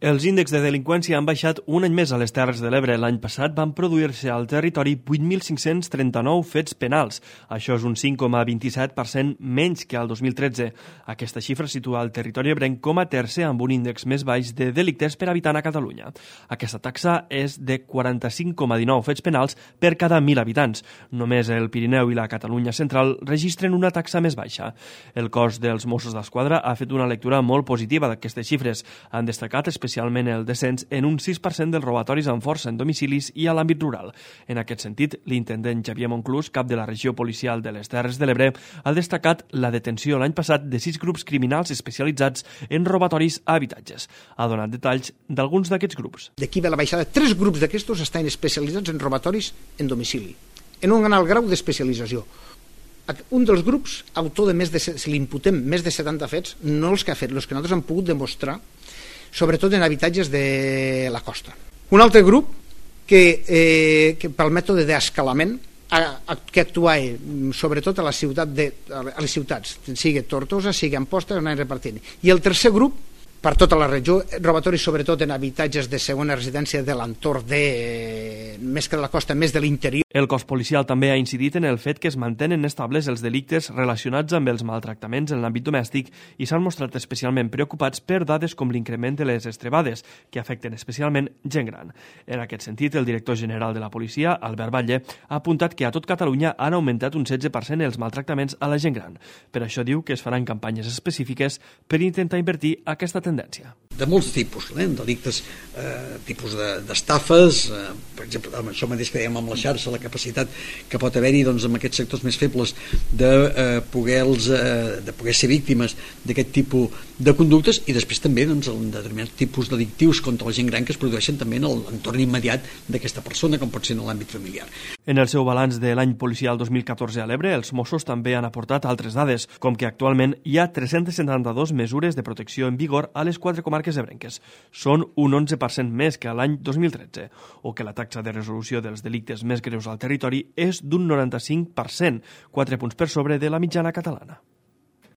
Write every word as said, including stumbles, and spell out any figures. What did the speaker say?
Els índexs de delinqüència han baixat un any més a les Terres de l'Ebre. L'any passat van produir-se al territori vuit mil cinc-cents trenta-nou fets penals. Això és un cinc coma vint-i-set per cent menys que el dos mil tretze. Aquesta xifra situa el territori ebrenc com a tercer amb un índex més baix de delictes per habitant a Catalunya. Aquesta taxa és de quaranta-cinc coma dinou fets penals per cada mil habitants. Només el Pirineu i la Catalunya central registren una taxa més baixa. El cos dels Mossos d'Esquadra ha fet una lectura molt positiva d'aquestes xifres. Han destacat especialment especialment el descens en un sis per cent dels robatoris amb força en domicilis i a l'àmbit rural. En aquest sentit, l'intendent Xavier Monclús, cap de la regió policial de les Terres de l'Ebre, ha destacat la detenció l'any passat de sis grups criminals especialitzats en robatoris a habitatges. Ha donat detalls d'alguns d'aquests grups. D'aquí ve la baixada. Tres grups d'aquestos estan especialitzats en robatoris en domicili, en un alt grau d'especialització. Un dels grups, autor de més de, si li imputem més de setanta fets, no els que ha fet, els que nosaltres hem pogut demostrar, sobretot en habitatges de la costa. Un altre grup que, eh, que pel mètode d'escalament que actuava sobretot a la ciutat de, a les ciutats, sigui Tortosa, sigui Amposta, on anava repartint. I el tercer grup, per tota la regió, robatoris sobretot en habitatges de segona residència de l'entorn de, més que de la costa, més de l'interior. El cos policial també ha incidit en el fet que es mantenen estables els delictes relacionats amb els maltractaments en l'àmbit domèstic i s'han mostrat especialment preocupats per dades com l'increment de les estrebades, que afecten especialment gent gran. En aquest sentit, el director general de la policia, Albert Batlle, ha apuntat que a tot Catalunya han augmentat un setze per cent els maltractaments a la gent gran. Per això diu que es faran campanyes específiques per intentar invertir aquesta tendència. Tendència. De molts tipus, eh? Delictes, eh, tipus d'estafes, de, eh, per exemple, amb això mateix que dèiem amb la xarxa, la capacitat que pot haver-hi doncs, amb aquests sectors més febles de, eh, poder-los, eh, de poder ser víctimes d'aquest tipus de conductes i després també doncs, en determinats tipus delictius contra la gent gran que es produeixen també en l'entorn immediat d'aquesta persona, com pot ser en l'àmbit familiar. En el seu balanç de l'any policial dos mil catorze a l'Ebre, els Mossos també han aportat altres dades, com que actualment hi ha tres-cents setanta-dos mesures de protecció en vigor a les quatre comarques ebrenques. Són un onze per cent més que l'any dos mil tretze, o que la taxa de resolució dels delictes més greus al territori és d'un noranta-cinc per cent, quatre punts per sobre de la mitjana catalana.